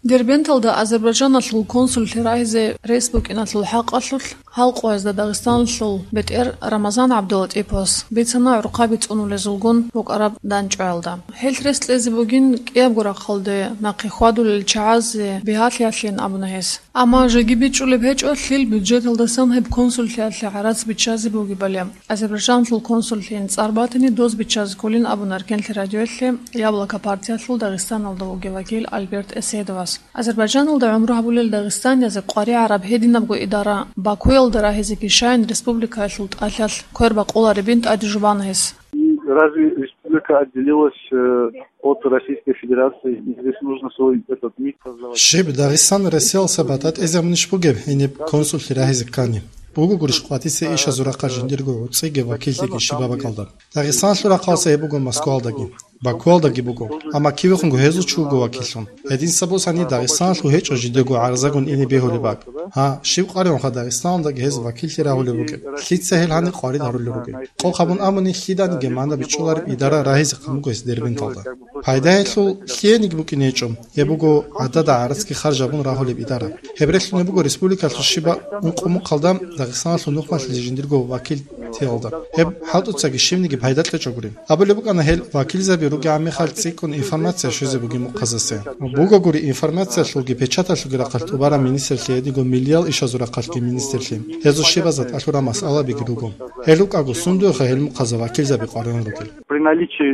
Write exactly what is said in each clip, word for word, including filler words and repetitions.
Дербенталда Азербайджаналъул консуллъи рагьизе рес букӀиналъул хӀакъалъулъ гьал къоязда Дагъистаналъул бетӀер Рамазан ГӀабдулатӀиповас бицана гӀурхъаби цӀунулезулгун букӀараб дандчӀваялда. Гьелъ рес кьезе бугин кӀиябго рахъалде нахъе хьвадулел чагӀазе бигьалъиялъин абуна гьес. Амма жеги бичӀчӀулеб гьечӀо, лъил бюджеталдасан гьеб консуллъиялъе гӀарац биччазе бугебали. Азербайджаналъул консуллъийин цӀар батани, доз биччазе кколин абуна Эркенлъи радиоялъе Яблоко партиялъул Дагъистаналда вугев вакил Альберт Эседовас. Азербайджаналда гӀумру гьабулел дагъистаниязе къваригӀараб гьединабго идара Бакуялда рагьизеги щайин республикаялъул тӀалъалъ квер бакъуларебин тӀаде жубана гьес. И разве республика отделилась, э, от Российской Федерации? И здесь нужно свой этот миг создавать. Щиб, Дагъистан Россиялдаса батӀа тӀезе гьабунищ бугеб гьениб консуллъи рагьизе ккани? Буго гурищ къватӀиса ишазул рахъалъ жиндирго гӀуцӀиги вакиллъиги щибаб бакӀалда. Дагъистаналъул рахъалдаса гьеб буго Москвалдаги, Бакуялдаги буго, амма кивехунго гьезул чи вуго вакиллъун. Гьединса босани Дагъистаналъул гьечӀо жидего гӀарзагун ине бегьулеб бакӀ. Гьа, щиб къваригӀунха Дагъистаналдаги гьез вакиллъи рагьулеб бугеб? Лъица гьел гьаниб къварид гьарулел ругел? Къокъ гьабун абуни, лъиданиги мана бичӀчӀулареб идара рагьизе хъан буго гьес Дербенталда. Пайда гьелъул лъиениги букӀине гьечӀо. Гьеб буго гӀадада гӀарацги харж гьабун рагьулеб идара. Гьеб релълъун гьеб буго республикалъул щибаб ункъо-мухъалда Дагъистаналъул нухмалъизе жиндирго вакил тиялда. Гьеб хӀалтӀуцаги щибниги пайда кьечӀогури. Абулеб букӀана гьел вакилзаби ругегӀан мехалъ цӀикӀкӀун информация щвезе бугеб мухъазасе. Бугогури информациялъулги печаталъулги рахъалъ тӀубараб министрлъи гьединго миллиял ишазул рахъалъги министрлъи. Гьезул щибазда тӀалъураб масъалабиги руго. Гьел рукӀаго сундуеха гьел мухъаза вакилзаби къваригӀун ругел? При наличии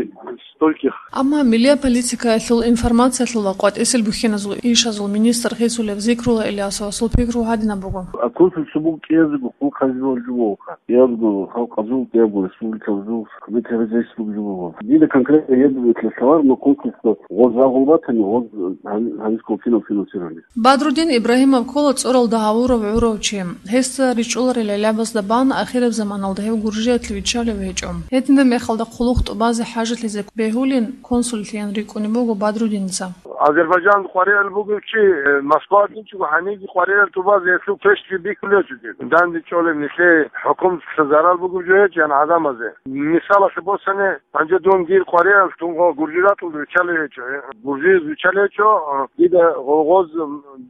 стольких. Амма миллия политикаялъул, информациялъул ва къватӀисел бухьиназул ишазул министр хисулев Зикрула Ильясовасул пикру гьадинаб буго. А консульство буго кӀиязего хъулухъ гьабизе жо бугоха. КӀиязего халкъазул, кӀиязего республикабазул, хъван-хъван гьабизе жо буго. Дида конкретно гьеб бетӀер лъалареб, но консульство гъоз рагъул батани, гьоз гьан-, гьанисго кинал финансирование. Бадрудин Ибрагьимов ккола цӀоралда гьавурав гӀурав чи. Гьесда ричӀчӀуларел гӀелабазда бан ахираб заманалда гьев Гуржиялъе виччалев гьечӀо. Гьединаб мехалда хъулухъ тӀубазе хӀажалъизе бегьулин консуллъийин рикӀкӀунеб буго Бадрудинца. Азербайджан къваригӀел бугев чи, э, Москва гьечӀого гьаниги къваригӀел тӀубазе гьелъул пешги бихьулев чи. Данде чӀолеб нилъее хӀукуматалъа зарал бугев жо гьечӀо, ян гӀадамазе. Мисалалъе босани, гьанже дун дир къваригӀел тун гъо Гуржи ратулда виччалев гьечӀо. Гуржиялъ виччалев гьечӀо, дида гъо-, гъоз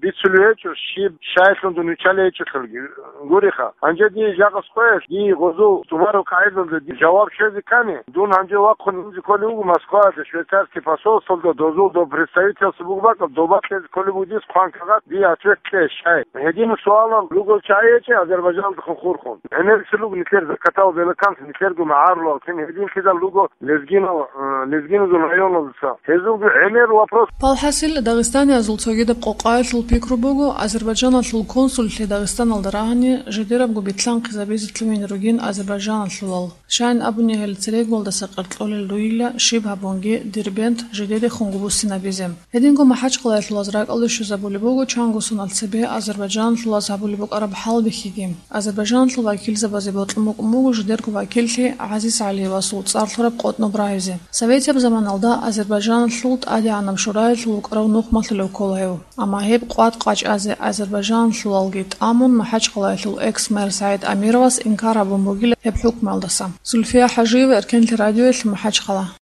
бицулев гьечӀо, щиб щайилъун дун виччалев гьечӀолъулги. Гуриха, гьанже дие жакъа къоялъ, дие гъозул тӀубараб къагӀидалда дие жаваб щвезе ккани, дун гьанже вахъун инзе кколев вуго Москваялда, швейцарский посольствоялда, дозул доб представительство буго бакӀал, доба кьезе кколеб буго дие хъван кагъат, дие ответ кье щай. Гьедин суалал ругел чагӀи гьечӀо Азербайджаналдехун хурхун. ГӀемерисел руго нилъер закатал белаканлъи, нилъерго магӀарулал кин гьединлъидал руго лезгинал, э, лезгиназул районалдаса. Гьезулги гӀемер вопрос. Палхасил, дагъистаниязул цогидаб къокъаялъул пикру буго, Азербайджаналъул консуллъи Дагъистаналда рагьани, жидерабго битлъанхъизабизе лъугьине ругин азербайджаналъулал. Щайин абуни, гьел церегуялдаса къеркьолел ругила, щиб гьабунги, Дербент жидерихунго буссинабизе. Гьединго МахӀачхъалаялъулаз ракӀалде щвезабулеб буго чанго соналъ цебе азербайджаналъулаз гьабулеб букӀараб хӀалбихьиги. Азербайджаналъул вакилзабазе бокьун букӀун буго жидерго вакиллъи ГӀазиз ГӀалиевасул цӀар лъураб къотӀноб рагьизе. Советияб заманалда Азербайджаналъул ТӀадегӀанаб шураялъул вукӀарав нухмалъулев ккола гьев. Амма гьеб къватӀ къачӀазе азербайджаналъулалги тӀамун, МахӀачхъалаялъул экс-мэр СагӀид Амировас инкар гьабун бугила гьеб хӀукмуялдаса. Зульфия ХӀажиева, Эркенлъи радиоялъ, МахӀачхъала.